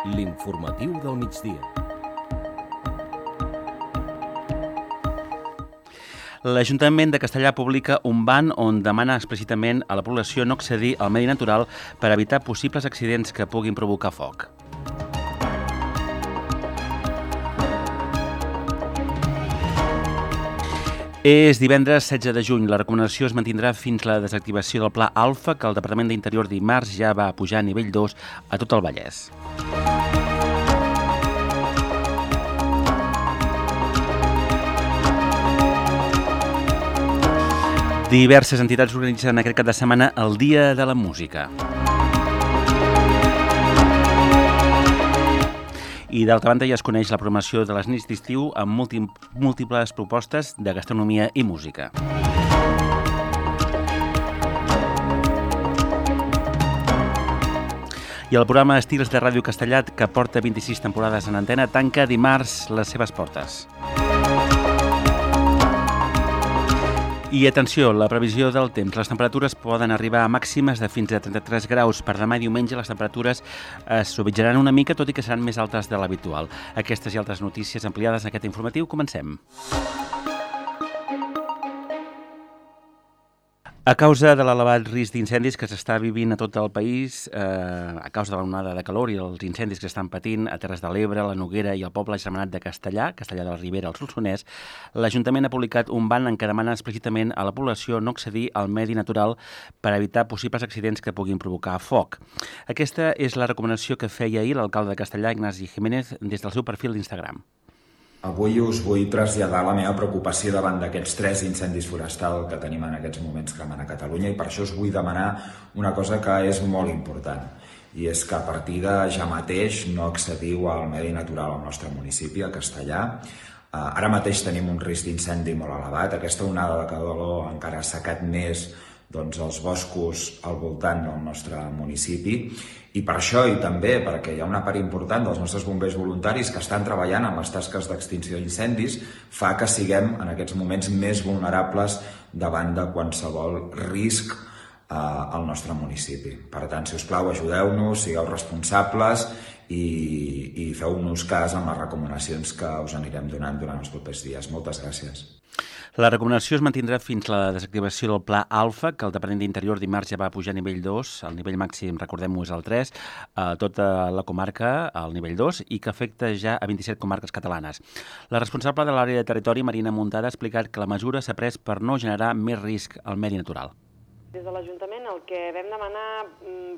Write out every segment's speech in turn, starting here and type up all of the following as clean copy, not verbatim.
L'informatiu del migdia. L'Ajuntament de Castellar publica un ban on demana explícitament a la població no accedir al medi natural per evitar possibles accidents que puguin provocar foc. És divendres 16 de juny. La recomanació es mantindrà fins la desactivació del Pla Alfa, que el Departament d'Interior dimarts ja va pujar a nivell 2 a tot el Vallès. Diverses entitats organitzen aquest cap de setmana el Dia de la Música. I d'altra banda ja es coneix la programació de les nits d'estiu amb múltiples propostes de gastronomia i música. I el programa Estils de Ràdio Castellat, que porta 26 temporades en antena, tanca dimarts les seves portes. I atenció, la previsió del temps. Les temperatures poden arribar a màximes de fins a 33 graus. Per demà i diumenge les temperatures es suavitzaran una mica, tot i que seran més altes de l'habitual. Aquestes i altres notícies ampliades en aquest informatiu. Comencem. A causa de l'elevat risc d'incendis que s'està vivint a tot el país, a causa de l'onada de calor i els incendis que estan patint a Terres de l'Ebre, la Noguera i el poble germanat de Castellar de la Ribera, al Solsonès, l'Ajuntament ha publicat un ban en què demana explícitament a la població no accedir al medi natural per evitar possibles accidents que puguin provocar foc. Aquesta és la recomanació que feia ahir l'alcalde de Castellar, Ignasi Jiménez, des del seu perfil d'Instagram. Avui us vull traslladar la meva preocupació davant d'aquests 3 incendis forestals que tenim en aquests moments cremant a Catalunya, i per això us vull demanar una cosa que és molt important, i és que a partir de ja mateix no accediu al medi natural al nostre municipi, a Castellar. Ara mateix tenim un risc d'incendi molt elevat. Aquesta onada de calor encara ha assecat més els boscos al voltant del nostre municipi, i per això, i també perquè hi ha una part important dels nostres bombers voluntaris que estan treballant en les tasques d'extinció d'incendis, fa que siguem en aquests moments més vulnerables davant de qualsevol risc al nostre municipi. Per tant, si us plau, ajudeu-nos, sigueu responsables i feu-nos cas amb les recomanacions que us anirem donant durant els propers dies. Moltes gràcies. La recomanació es mantindrà fins la desactivació del Pla Alfa, que el Departament d'Interior dimarts ja va pujar a nivell 2, el nivell màxim, recordem-ho, és el 3, a tota la comarca, al nivell 2, i que afecta ja a 27 comarques catalanes. La responsable de l'àrea de territori, Marina Muntada, ha explicat que la mesura s'ha pres per no generar més risc al medi natural. Des de l'Ajuntament el que vam demanar,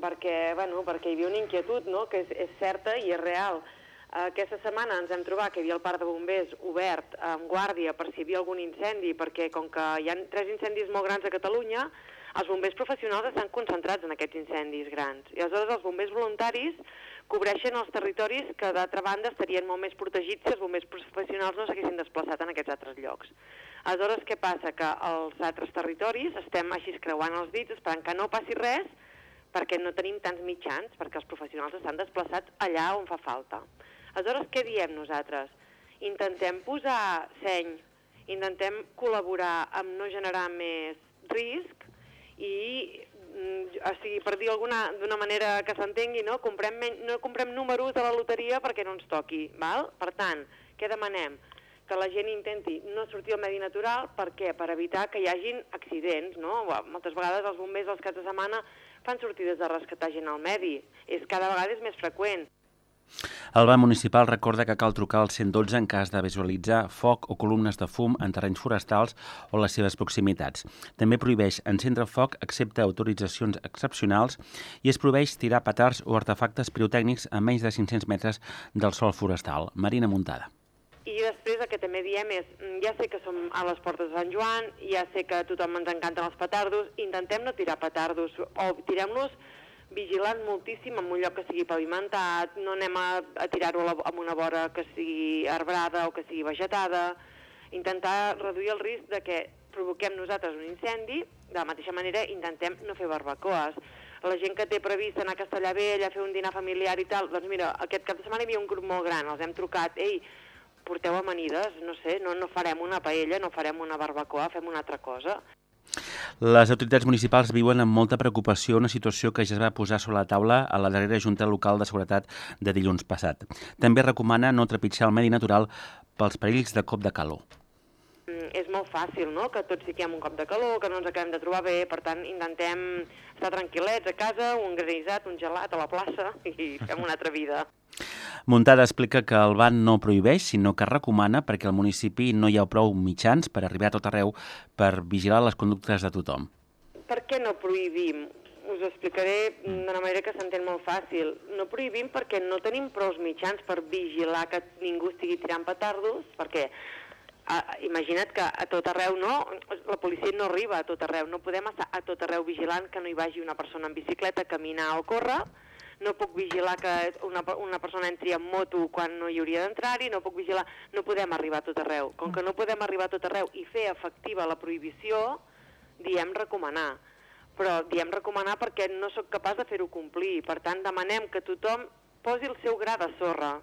perquè hi havia una inquietud, no?, que és certa i és real. Aquesta setmana ens hem trobat que hi havia el parc de bombers obert amb guàrdia per si hi havia algun incendi, perquè com que hi ha 3 incendis molt grans a Catalunya, els bombers professionals estan concentrats en aquests incendis grans. I aleshores els bombers voluntaris cobreixen els territoris que d'altra banda estarien molt més protegits si els bombers professionals no s'haguessin desplaçat en aquests altres llocs. Aleshores, què passa? Que als altres territoris estem així creuant els dits, esperant que no passi res, perquè no tenim tants mitjans, perquè els professionals estan desplaçats allà on fa falta. Aleshores, què diem nosaltres? Intentem posar seny, intentem col·laborar amb no generar més risc i, per dir d'una manera que s'entengui, no comprem números de la loteria perquè no ens toqui, val? Per tant, què demanem? Que la gent intenti no sortir al medi natural. Per què? Per evitar que hi hagin accidents, no? Moltes vegades els bombers als caps de setmana fan sortides de rescatar gent al medi. Cada vegada és més freqüent. El banc municipal recorda que cal trucar al 112 en cas de visualitzar foc o columnes de fum en terrenys forestals o les seves proximitats. També prohibeix encendre foc excepte autoritzacions excepcionals i es prohibeix tirar petards o artefactes pirotècnics a menys de 500 metres del sòl forestal. Marina Muntada. I després el que també diem és, ja sé que som a les portes de Sant Joan, ja sé que a tothom ens encanten els petardos, intentem no tirar petardos o tirem-los vigilant moltíssim en un lloc que sigui pavimentat, no anem a tirar-ho en una vora que sigui arbrada o que sigui vegetada, intentar reduir el risc de que provoquem nosaltres un incendi. De la mateixa manera intentem no fer barbacoes. La gent que té previst anar a Castellar Vell a fer un dinar familiar i tal, doncs mira, aquest cap de setmana hi havia un grup molt gran, els hem trucat, ei, porteu amanides, no sé, no farem una paella, no farem una barbacoa, fem una altra cosa. Les autoritats municipals viuen amb molta preocupació una situació que ja es va posar sobre la taula a la darrera Junta Local de Seguretat de dilluns passat. També recomana no trepitjar el medi natural pels perills de cop de calor. És molt fàcil, no?, que tots fiquem un cop de calor, que no ens acabem de trobar bé, per tant, intentem estar tranquil·lets a casa, un granissat, un gelat a la plaça i fem una altra vida. Muntada explica que el ban no prohibeix, sinó que recomana perquè al municipi no hi ha prou mitjans per arribar a tot arreu per vigilar les conductes de tothom. Per què no prohibim? Us ho explicaré d'una manera que s'entén molt fàcil. No prohibim perquè no tenim prou mitjans per vigilar que ningú estigui tirant petardos, perquè imagina't que a tot arreu la policia no arriba a tot arreu, no podem estar a tot arreu vigilant que no hi vagi una persona en bicicleta a caminar o córrer, no puc vigilar que una persona entri en moto quan no hi hauria d'entrar-hi, no podem arribar a tot arreu. Com que no podem arribar a tot arreu i fer efectiva la prohibició, diem recomanar. Però diem recomanar perquè no sóc capaç de fer-ho complir. Per tant, demanem que tothom posi el seu gra de sorra.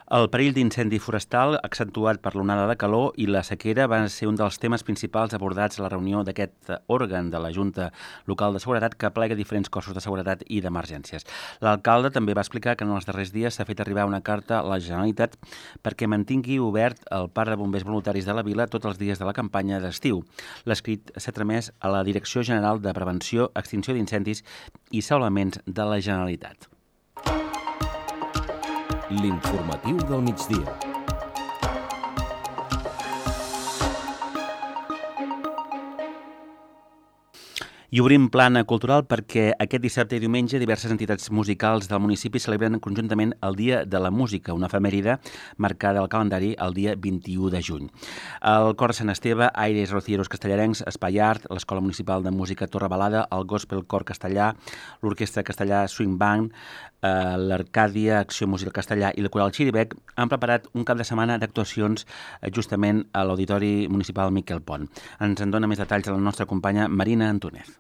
El perill d'incendi forestal, accentuat per l'onada de calor i la sequera, va ser un dels temes principals abordats a la reunió d'aquest òrgan de la Junta Local de Seguretat que aplega diferents cossos de seguretat i d'emergències. L'alcalde també va explicar que en els darrers dies s'ha fet arribar una carta a la Generalitat perquè mantingui obert el parc de bombers voluntaris de la vila tots els dies de la campanya d'estiu. L'escrit s'ha tramès a la Direcció General de Prevenció, Extinció d'Incendis i Salvaments de la Generalitat. L'informatiu del migdia. I obrim plana cultural perquè aquest dissabte i diumenge diverses entitats musicals del municipi celebren conjuntament el Dia de la Música, una efemèride marcada al calendari el dia 21 de juny. El Cor Sant Esteve, Aires Rocieros Castellarencs, Espai Art, l'Escola Municipal de Música Torre Balada, el Gospel Cor Castellà, l'Orquestra Castellà Swing Band, l'Arcàdia Acció Musical Castellà i la Coral Xirivec han preparat un cap de setmana d'actuacions justament a l'Auditori Municipal Miquel Pont. Ens en dona més detalls la nostra companya Marina Antúnez.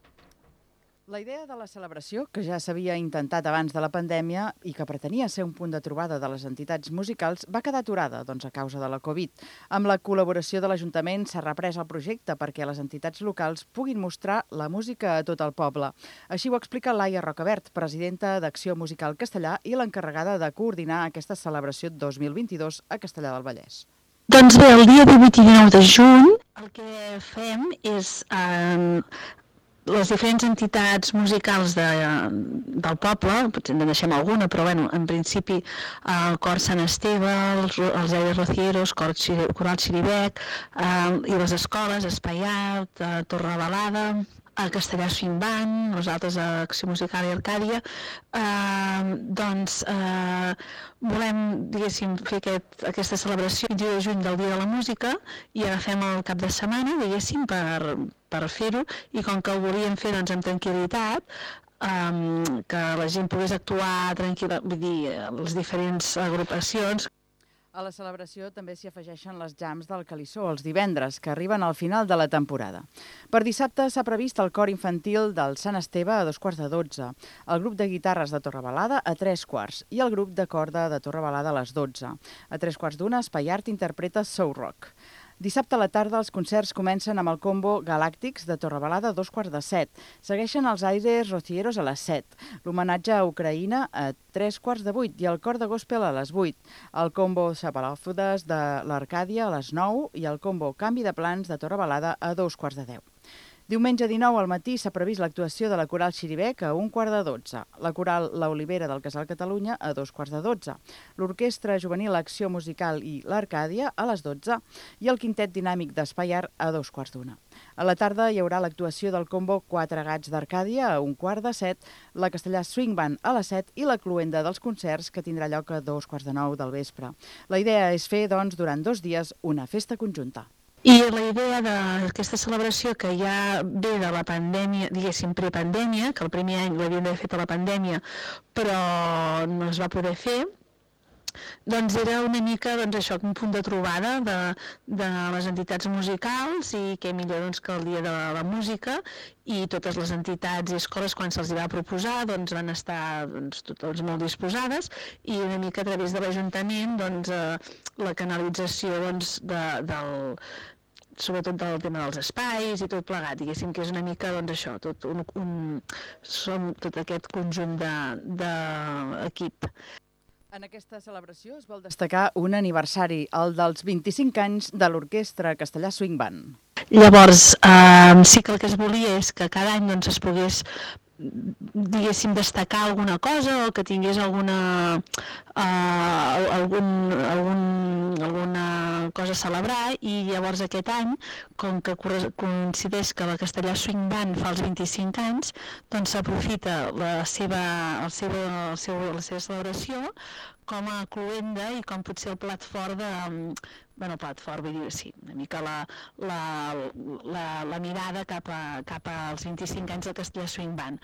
La idea de la celebració, que ja s'havia intentat abans de la pandèmia i que pretenia ser un punt de trobada de les entitats musicals, va quedar aturada a causa de la Covid. Amb la col·laboració de l'Ajuntament s'ha reprès el projecte perquè les entitats locals puguin mostrar la música a tot el poble. Així ho explica Laia Rocabert, presidenta d'Acció Musical Castellà i l'encarregada de coordinar aquesta celebració 2022 a Castellà del Vallès. Doncs bé, el dia 18 i 19 de juny el que fem és les diferents entitats musicals del poble, potser en deixem alguna, però bueno, en principi el Cor Sant Esteve, els Aires Rocieros, Coral Xirivec i les escoles, Espai Art, Torre Balada, a Castellà Swing Band, nosaltres a Acció Musical i Arcàdia, volem, diguéssim, fer aquesta celebració el 21 de juny del Dia de la Música i agafem el cap de setmana, diguéssim, per fer-ho, i com que ho volíem fer amb tranquil·litat, que la gent pogués actuar tranquil·la, vull dir, les diferents agrupacions. A la celebració també s'hi afegeixen les jams del Calissó els divendres, que arriben al final de la temporada. Per dissabte s'ha previst el cor infantil del Sant Esteve a 2:45, el grup de guitarres de Torre Balada a 3:15 i el grup de corda de Torre Balada a les 12. A 3:15 Espai Art interpreta Soul Rock. Dissabte a la tarda els concerts comencen amb el combo Galàctics de Torre Balada a 2:15. Segueixen els Aires Rocieros a les 7, l'homenatge a Ucraïna a 7:45 i el cor de gospel a les 8, el combo Xapalòfodes de l'Arcàdia a les 9 i el combo Canvi de Plans de Torre Balada a 2:15. Diumenge 19 al matí s'ha previst l'actuació de la Coral Xirivec a 11:45, la Coral La Olivera del Casal Catalunya a 2:15, l'Orquestra Juvenil Acció Musical i l'Arcàdia a les 12 i el Quintet Dinàmic d'Espai Art a 2:15. A la tarda hi haurà l'actuació del combo Quatre Gats d'Arcàdia a 1:15, la Castellà Swing Band a les 7 i la cloenda dels concerts que tindrà lloc a 2:45 del vespre. La idea és fer, doncs, durant 2 dies una festa conjunta. I la idea d'aquesta celebració que ja ve de la pandèmia, diguéssim prepandèmia, que el primer any l'havíem d'haver fet a la pandèmia, però no es va poder fer, doncs era una mica això, un punt de trobada de les entitats musicals i què millor que el Dia de la Música, i totes les entitats i escoles quan se'ls va proposar van estar totes molt disposades, i una mica a través de l'Ajuntament la canalització sobretot del tema dels espais i tot plegat, diguéssim que és una mica, doncs això, som tot aquest conjunt d'equip. En aquesta celebració es vol destacar un aniversari, el dels 25 anys de l'Orquestra Castellà Swing Band. Llavors, sí que el que es volia és que cada any doncs, es pogués, diguéssim, destacar alguna cosa o que tingués alguna cosa a celebrar, i llavors aquest any, com que coincideix que la Castellà Swing Band fa els 25 anys, doncs s'aprofita la seva celebració com a cloenda i com potser el plat fort vull dir, sí, una mica la mirada cap als 25 anys del Castellà Swing Band.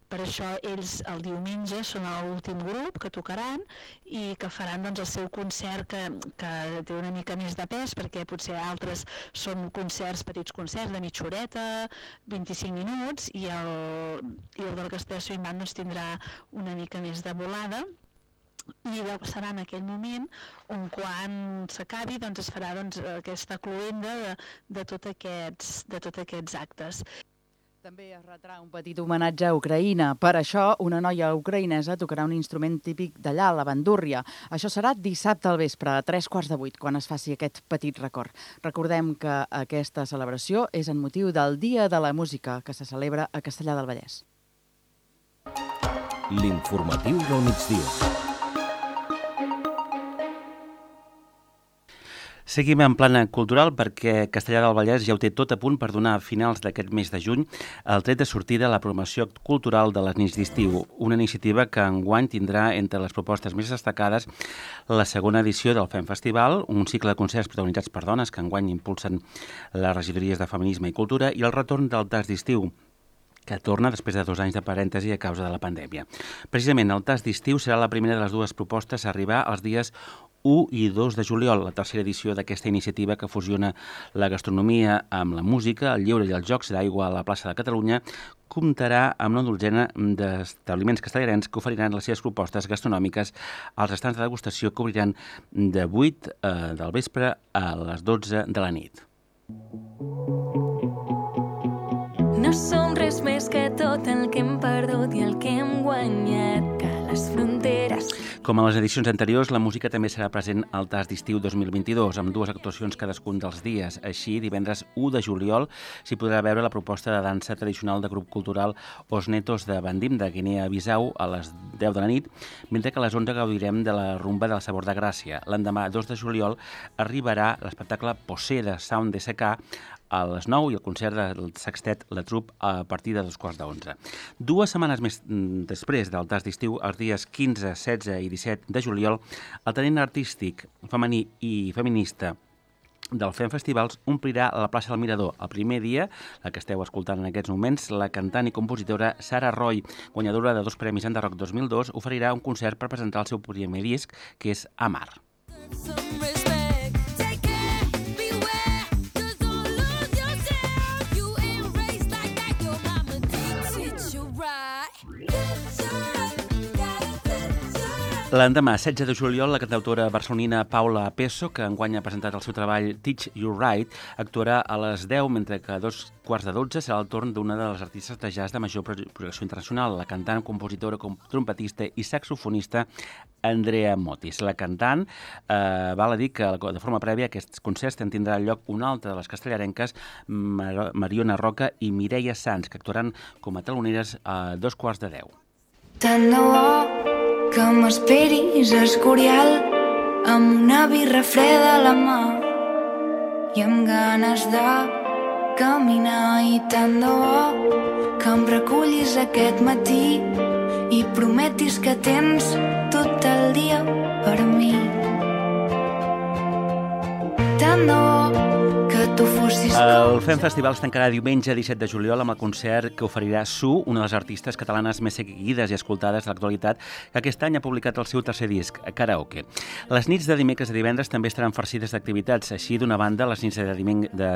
Per això ells el diumenge són l'últim grup que tocaran i que faran doncs, el seu concert que té una mica més de pes, perquè potser altres són petits concerts de mitja horeta, 25 minuts, i el del Castellà Swing Band doncs, tindrà una mica més de volada. I serà en aquell moment on quan s'acabi doncs es farà aquesta cloenda de tots aquests actes. També es retrà un petit homenatge a Ucraïna. Per això, una noia ucraïnesa tocarà un instrument típic d'allà, la bandúrria. Això serà dissabte al vespre, a 7:45, quan es faci aquest petit record. Recordem que aquesta celebració és en motiu del Dia de la Música, que se celebra a Castellar del Vallès. L'informatiu del migdia. Seguim en plana cultural perquè Castellar del Vallès ja ho té tot a punt per donar a finals d'aquest mes de juny el tret de sortida a la promoció cultural de les nits d'estiu, una iniciativa que enguany tindrà entre les propostes més destacades la segona edició del FEM Festival, un cicle de concerts protagonitzats per dones que enguany impulsen les regidories de Feminisme i Cultura, i el retorn del TAS d'estiu, que torna després de 2 anys de parèntesi a causa de la pandèmia. Precisament, el TAS d'estiu serà la primera de les dues propostes a arribar els dies 1 i 2 de juliol, la tercera edició d'aquesta iniciativa que fusiona la gastronomia amb la música, el lleure i els jocs d'aigua a la plaça de Catalunya, comptarà amb una dotzena d'establiments castellarencs que oferiran les seves propostes gastronòmiques als estands de degustació que obriran de 8 del vespre a les 12 de la nit. No som res més que tot el que hem perdut i el que hem guanyat, que les fronteres... Com a les edicions anteriors, la música també serà present al TAS d'estiu 2022, amb 2 actuacions cadascun dels dies. Així, divendres 1 de juliol s'hi podrà veure la proposta de dansa tradicional de grup cultural Os Netos de Bandim, de Guinea-Bissau, a les 10 de la nit, mentre que a les 11 gaudirem de la rumba del Sabor de Gràcia. L'endemà, 2 de juliol, arribarà l'espectacle Posé de Sound de SK a les 9 i el concert del sextet La Troupe a partir de 11:15. 2 setmanes més després del TAS d'estiu, els dies 15, 16 i 17 de juliol, el talent artístic femení i feminista del FEM Festivals omplirà la plaça del Mirador. El primer dia, la que esteu escoltant en aquests moments, la cantant i compositora Sara Roy, guanyadora de 2 premis Enderrock 2002, oferirà un concert per presentar el seu primer disc, que és Amar. L'endemà, 16 de juliol, la cantautora barcelonina Paula Peso, que enguany ha presentat el seu treball Teach You Right, actuarà a les 10, mentre que a 11:15 serà el torn d'una de les artistes de jazz de major projecció internacional, la cantant, compositora, trompetista i saxofonista Andrea Motis. La cantant val a dir que de forma prèvia a aquests concerts en tindrà lloc una altra de les castellarenques, Mariona Roca i Mireia Sans, que actuaran com a taloneres a 11:45. Tant de bo que m'esperis a Escorial amb una birra freda a la mà i amb ganes de caminar, i tant de bo que em recullis aquest matí i prometis que tens tot el dia per mi. Tant de bo que tu fossis... El FEM Festival es tancarà diumenge 17 de juliol amb el concert que oferirà Su, una de les artistes catalanes més seguides i escoltades de l'actualitat, que aquest any ha publicat el seu tercer disc, Karaoke. Les nits de dimecres i divendres també estaran farcides d'activitats. Així, d'una banda, les nits de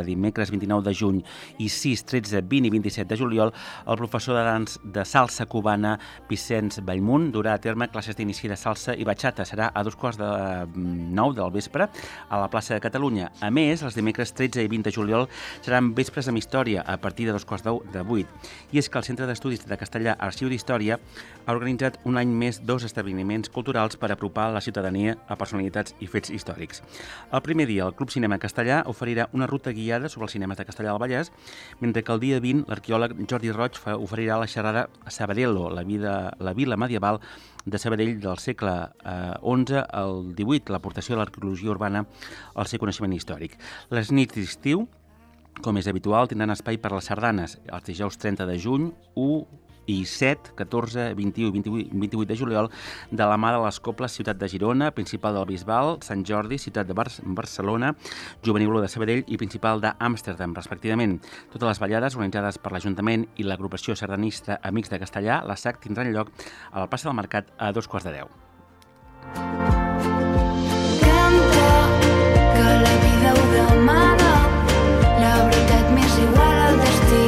dimecres 29 de juny i 6, 13, 20 i 27 de juliol, el professor de salsa cubana Vicenç Bellmunt durà a terme classes d'inici de salsa i bachata. Serà a 2:09 del vespre a la plaça de Catalunya. A més, els dimecres 13 15 i 20 de juliol seran vespres amb història a partir de 7:15. I és que el Centre d'Estudis de Castellà Arxiu d'Història ha organitzat un any més 2 esdeveniments culturals per apropar la ciutadania a personalitats i fets històrics. El primer dia, el Club Cinema Castellà oferirà una ruta guiada sobre els cinemes de Castellà del Vallès, mentre que el dia 20 l'arqueòleg Jordi Roig oferirà la xerrada Sabadello, la vila medieval de Sabadell del segle XI al XVIII, l'aportació de l'arqueologia urbana al seu coneixement històric. Les nits d'estiu, com és habitual, tindran espai per les sardanes els dijous 30 de juny, 1 i 7, 14, 21 i 28 de juliol, de la mà de les Cobles Ciutat de Girona, Principal del Bisbal, Sant Jordi, Ciutat de Barcelona, Juvenil de Sabadell i Principal d'Amsterdam, respectivament. Totes les ballades organitzades per l'Ajuntament i l'agrupació sardanista Amics de Castellà, la SAC, tindran lloc a la plaça del Mercat a 9:45. Canta que la vida ho demana, la veritat m'és igual al destí,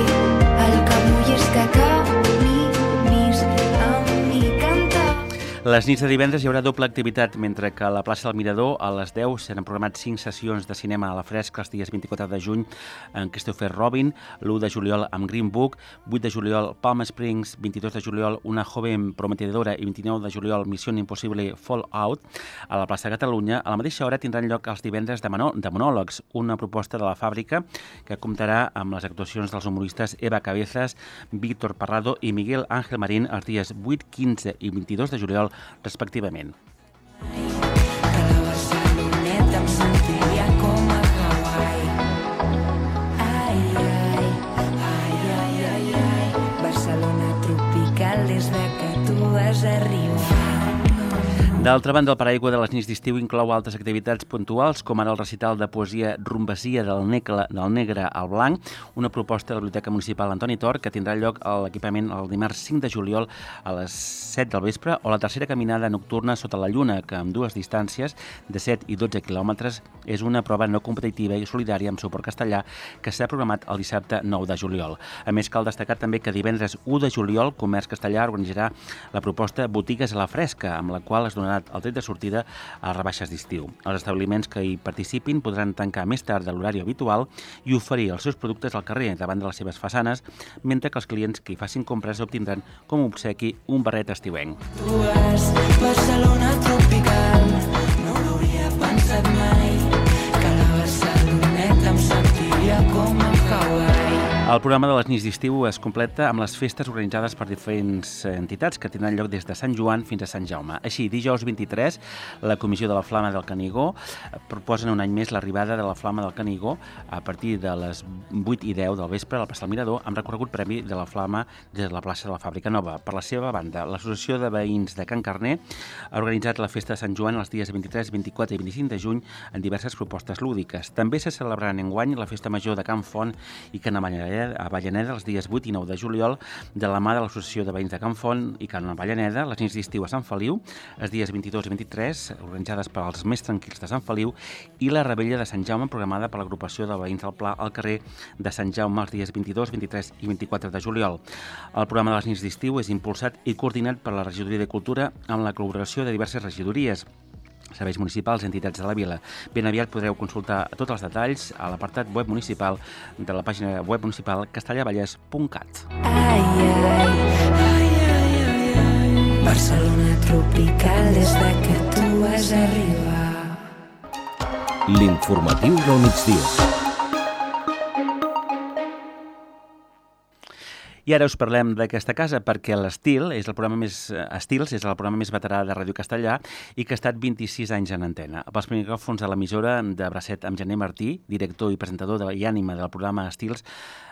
el que vull és que caminis amb mi, canta. Les nits de divendres hi haurà doble activitat, mentre que a la plaça del Mirador a les 10 s'han programat 5 sessions de cinema a la fresca els dies 24 de juny en Christopher Robin, l'1 de juliol amb Green Book, 8 de juliol Palm Springs, 22 de juliol Una joven prometedora i 29 de juliol Missió Impossible Fallout. A la plaça de Catalunya, a la mateixa hora tindran lloc els divendres de monòlegs, una proposta de la Fàbrica que comptarà amb les actuacions dels humoristes Eva Cabezas, Víctor Parrado i Miguel Ángel Marín els dies 8, 15 i 22 de juliol respectivament. Que la Barceloneta em sentiria com a Hawaii. Ai, ai, ai, ai, ai, ai. Barcelona tropical des de que tu vas arribar. D'altra banda, el paraigua de les nits d'estiu inclou altres activitats puntuals, com ara el recital de poesia Rumbasia del negre al blanc, una proposta de la Biblioteca Municipal Antoni Tor, que tindrà lloc a l'equipament el dimarts 5 de juliol a les 7 del vespre, o la tercera caminada nocturna sota la lluna, que amb 2 distàncies de 7 i 12 quilòmetres és una prova no competitiva i solidària amb suport castellà que s'ha programat el dissabte 9 de juliol. A més, cal destacar també que divendres 1 de juliol Comerç Castellà organitzarà la proposta Botigues a la Fresca, amb la qual es donarà el tret de sortida a rebaixes d'estiu. Els establiments que hi participin podran tancar més tard de l'horari habitual i oferir els seus productes al carrer davant de les seves façanes, mentre que els clients que hi facin compres obtindran com a obsequi un barret estiuenc. Tu vas, Barcelona tropical, no ho hauria pensat mai, que la Barceloneta em sentiria com a Hawaii. El programa de les nits d'estiu es completa amb les festes organitzades per diferents entitats que tindran lloc des de Sant Joan fins a Sant Jaume. Així, dijous 23, la Comissió de la Flama del Canigó proposen un any més l'arribada de la Flama del Canigó a partir de les 8 i 10 del vespre a la plaça del Mirador, amb recorregut premi de la Flama des de la plaça de la Fàbrica Nova. Per la seva banda, l'Associació de Veïns de Can Carner ha organitzat la festa de Sant Joan els dies 23, 24 i 25 de juny en diverses propostes lúdiques. També se celebraran enguany la Festa Major de Can Font i Can Avellaneda els dies 8 i 9 de juliol de la mà de l'Associació de Veïns de Can Font i Can Avellaneda, les nits d'estiu a Sant Feliu, els dies 22 i 23, organitzades per als més tranquils de Sant Feliu, i la Rebella de Sant Jaume, programada per l'agrupació de Veïns del Pla al carrer de Sant Jaume els dies 22, 23 i 24 de juliol. El programa de les nits d'estiu és impulsat i coordinat per la Regidoria de Cultura amb la col·laboració de diverses regidories, serveis municipals i entitats de la vila. Ben aviat podreu consultar tots els detalls a l'apartat web municipal de la pàgina web municipal castellavallès.cat. Ai, ai, ai, ai, ai, ai. Barcelona tropical des de que tu vas arribar. L'informatiu del migdia. I ara us parlem d'aquesta casa perquè l'Estil és el programa més veterà de Ràdio Castellà i que ha estat 26 anys en antena. Pels micròfons de l'emissora de Bracet amb Gené Martí, director i presentador i ànima del programa Estils,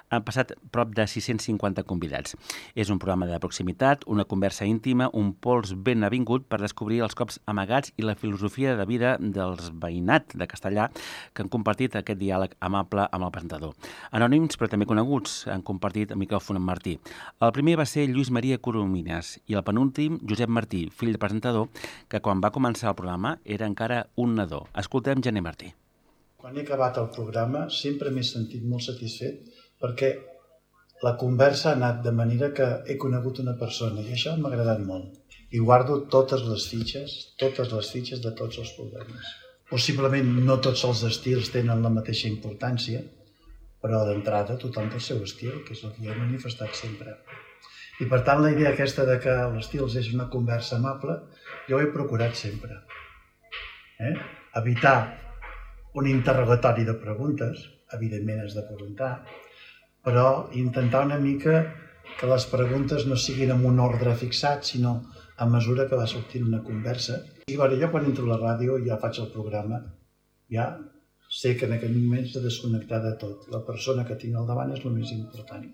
han passat prop de 650 convidats. És un programa de proximitat, una conversa íntima, un pols ben avingut per descobrir els cops amagats i la filosofia de vida dels veïnat de Castellà que han compartit aquest diàleg amable amb el presentador. Anònims, però també coneguts, han compartit el micròfon amb Martí. El primer va ser Lluís Maria Coromines i el penúltim, Josep Martí, fill de presentador, que quan va començar el programa era encara un nadó. Escoltem Gené Martí. Quan he acabat el programa sempre m'he sentit molt satisfet perquè la conversa ha anat de manera que he conegut una persona i això m'ha agradat molt. I guardo totes les fitxes de tots els programes. Possiblement no tots els estils tenen la mateixa importància, però d'entrada tothom té el seu estil, que és el que he manifestat sempre. I per tant la idea aquesta de que l'estil és una conversa amable, jo ho he procurat sempre. Evitar un interrogatori de preguntes, evidentment has de preguntar, però intentar una mica que les preguntes no siguin en un ordre fixat, sinó a mesura que va sortint una conversa. I jo quan entro a la ràdio i ja faig el programa, ja sé que en aquest moment s'ha de desconnectar de tot. La persona que tinc al davant és el més important.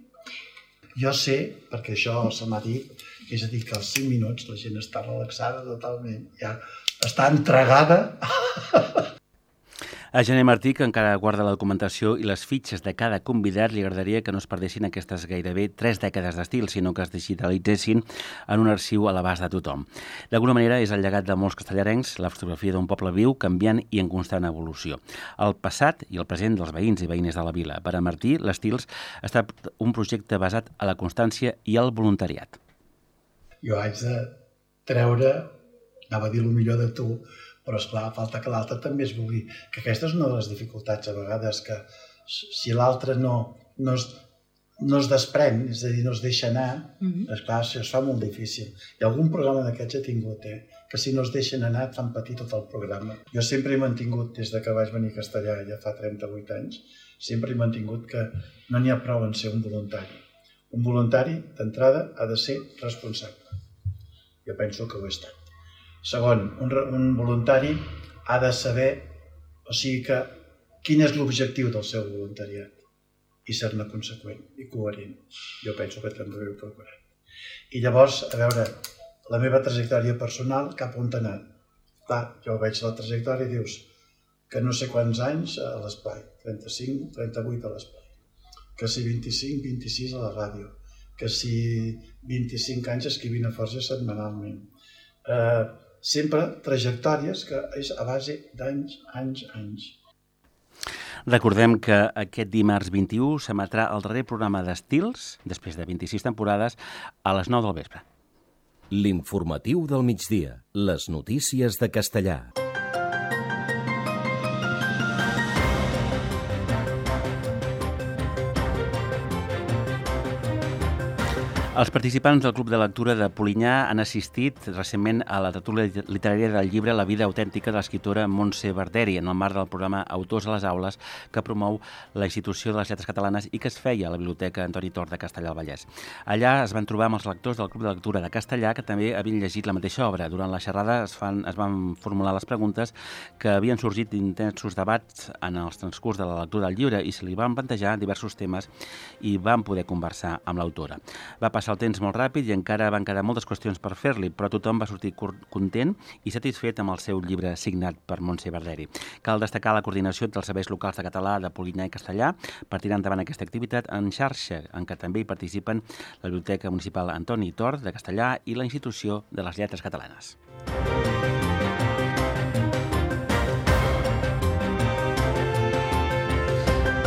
Jo sé, perquè això se m'ha dit, és a dir, que als 5 minuts la gent està relaxada totalment, ja està entregada. A Gené Martí, que encara guarda la documentació i les fitxes de cada convidat, li agradaria que no es perdessin aquestes gairebé 3 dècades d'estil, sinó que es digitalitzessin en un arxiu a l'abast de tothom. D'alguna manera és el llegat de molts castellarencs, la fotografia d'un poble viu, canviant i en constant evolució. El passat i el present dels veïns i veïnes de la vila. Per a Martí, l'Estils ha estat un projecte basat a la constància i el voluntariat. Jo haig de treure, anava a dir el millor de tu, però esclar, falta que l'altre també es vulgui. Que aquesta és una de les dificultats a vegades, que si l'altre no es desprèn, és a dir, no es deixa anar, esclar, això es fa molt difícil. I algun programa d'aquests he tingut, que si no es deixen anar et fan patir tot el programa. Jo sempre he mantingut, des que vaig venir a Castellà ja fa 38 anys, sempre he mantingut que no n'hi ha prou en ser un voluntari. Un voluntari, d'entrada, ha de ser responsable. Jo penso que ho he estat. Segon, un voluntari ha de saber, o sigui que, quin és l'objectiu del seu voluntariat i ser-ne conseqüent i coherent. Jo penso que també ho he procurat. I llavors, a veure, la meva trajectòria personal cap on ha anat. Clar, jo veig la trajectòria i dius que no sé quants anys a l'espai, 35, 38 a l'espai, que si 25, 26 a la ràdio, que si 25 anys escrivint a Forja setmanalment. Sempre trajectòries que és a base d'anys, anys. Recordem que aquest dimarts 21 s'emetrà el darrer programa d'Estils, després de 26 temporades, a les 9 del vespre. L'informatiu del migdia. Les notícies de Castellà. Els participants del Club de Lectura de Polinyà han assistit recentment a la tertúlia literària del llibre La vida autèntica de l'escriptora Montse Barderi, en el marc del programa Autors a les aules, que promou la Institució de les Lletres Catalanes i que es feia a la Biblioteca Antoni Tort de Castellà del Vallès. Allà es van trobar amb els lectors del Club de Lectura de Castellà, que també havien llegit la mateixa obra. Durant la xerrada es van formular les preguntes que havien sorgit d'intensos debats en els transcurs de la lectura del llibre i se li van plantejar diversos temes i van poder conversar amb l'autora. Va passar el temps molt ràpid i encara van quedar moltes qüestions per fer-li, però tothom va sortir content i satisfet amb el seu llibre signat per Montse Barderi. Cal destacar la coordinació dels serveis locals de català de Polinyà i Castellà per tirar endavant aquesta activitat en xarxa, en què també hi participen la Biblioteca Municipal Antoni Tort de Castellà i la Institució de les Lletres Catalanes.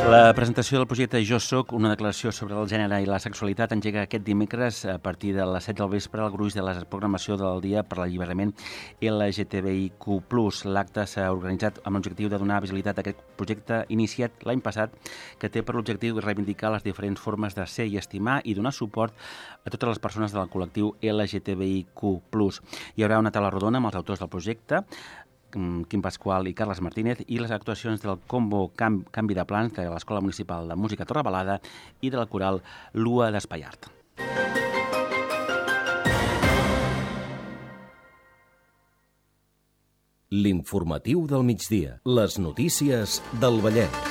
La presentació del projecte Jo Soc, una declaració sobre el gènere i la sexualitat, engega aquest dimecres a partir de les 7 del vespre al gruix de la programació del Dia per l'Alliberament LGTBIQ+. L'acte s'ha organitzat amb l'objectiu de donar visibilitat a aquest projecte iniciat l'any passat, que té per l'objectiu reivindicar les diferents formes de ser i estimar i donar suport a totes les persones del col·lectiu LGTBIQ+. Hi haurà una taula rodona amb els autors del projecte, Quim Pasqual i Carles Martínez, i les actuacions del combo Canvi de Plans de l'Escola Municipal de Música Torrebalada i de la coral Lua d'Espaiart. L'informatiu del migdia. Les notícies del Vallès.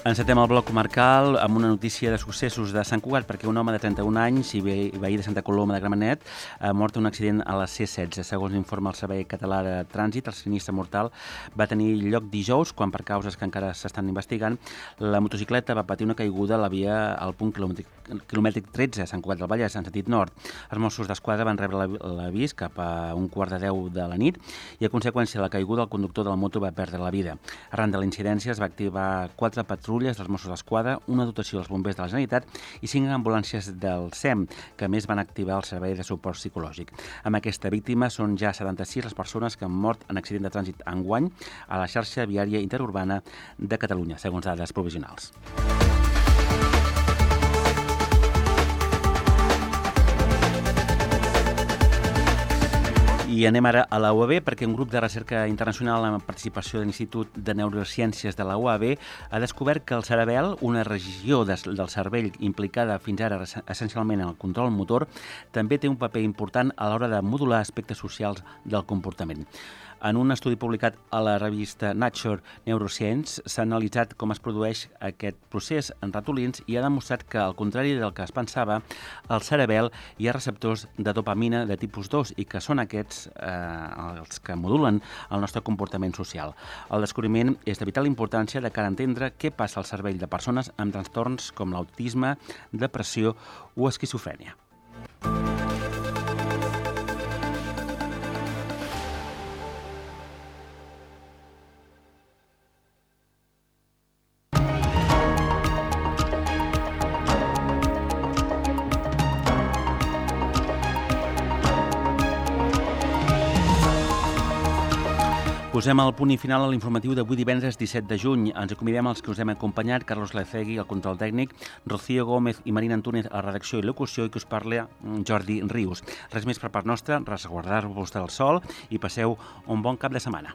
Encetem el bloc comarcal amb una notícia de successos de Sant Cugat, perquè un home de 31 anys i veí de Santa Coloma de Gramenet ha mort en un accident a la C-16. Segons informa el Servei Català de Trànsit, el sinistre mortal va tenir lloc dijous, quan per causes que encara s'estan investigant, la motocicleta va patir una caiguda a la via al punt quilomètric 13 a Sant Cugat del Vallès, en sentit nord. Els Mossos d'Esquadra van rebre l'avís cap a 1:15 de la nit i a conseqüència de la caiguda el conductor de la moto va perdre la vida. Arran de la incidència es va activar 4 patrulles patrulles dels Mossos d'Esquadra, una dotació dels bombers de la Generalitat i 5 ambulàncies del SEM, que a més van activar el servei de suport psicològic. Amb aquesta víctima són ja 76 les persones que han mort en accident de trànsit enguany a la xarxa viària interurbana de Catalunya, segons dades provisionals. I anem ara a la UAB perquè un grup de recerca internacional amb participació de l'Institut de Neurociències de la UAB ha descobert que el cerebel, una regió del cervell implicada fins ara essencialment en el control motor, també té un paper important a l'hora de modular aspectes socials del comportament. En un estudi publicat a la revista Nature Neuroscience s'ha analitzat com es produeix aquest procés en ratolins i ha demostrat que, al contrari del que es pensava, al cerebel hi ha receptors de dopamina de tipus 2 i que són aquests els que modulen el nostre comportament social. El descobriment és de vital importància de cara a entendre què passa al cervell de persones amb trastorns com l'autisme, depressió o esquizofrènia. Posem el punt i final a l'informatiu d'avui divendres 17 de juny. Ens acomidem als que us hem acompanyat, Carlos Lecegui, al control tècnic, Rocío Gómez i Marina Antúnez a la redacció i locució i que us parla Jordi Rius. Res més per part nostra, resguardar-vos del sol i passeu un bon cap de setmana.